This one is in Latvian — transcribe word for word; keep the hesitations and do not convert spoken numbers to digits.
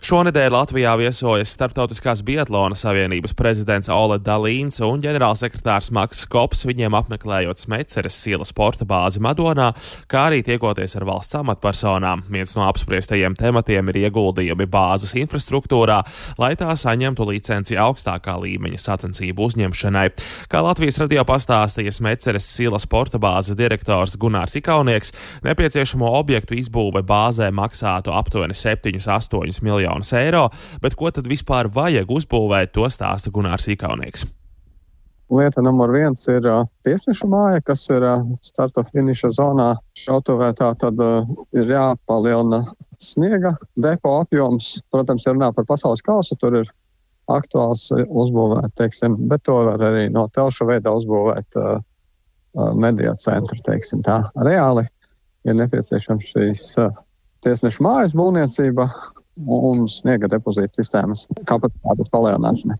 Šonedēļ Latvijā viesojas Starptautiskās biatlona savienības prezidents Ole Dalīns un ģenerālsekretārs Makss Kops, viņiem apmeklējot Smeceres Sila sporta bāzi Madonā, kā arī tiekoties ar valsts amatpersonām. Viens no apspriestajiem tematiem ir ieguldījumi bāzes infrastruktūrā, lai tā saņemtu licenci augstākā līmeņa sacensību uzņemšanai. Kā Latvijas radio pastāstīja Smeceres Sila sporta bāzes direktors Gunārs Ikaunieks, nepieciešamo objektu izbūve bāzē maksātu aptuveni septiņus astoņus miljonus eiro, bet ko tad vispār vajag uzbūvēt, to stāsta Gunārs Ikaunieks. Lieta numur viens ir uh, tiesneša māja, kas ir uh, starta finiša zonā. Šautuvē tā tad uh, ir jāpalielina sniega depo apjoms. Protams, ja runā par pasaules kausu, tur ir aktuāls uzbūvēt, teiksim, bet to var arī no telšu veidā uzbūvēt uh, uh, mediju centru, teiksim tā. Reāli ir nepieciešams šīs uh, tiesneša mājas būvniecība un sniega depozīta sistēmas kapacitātes palielināšana.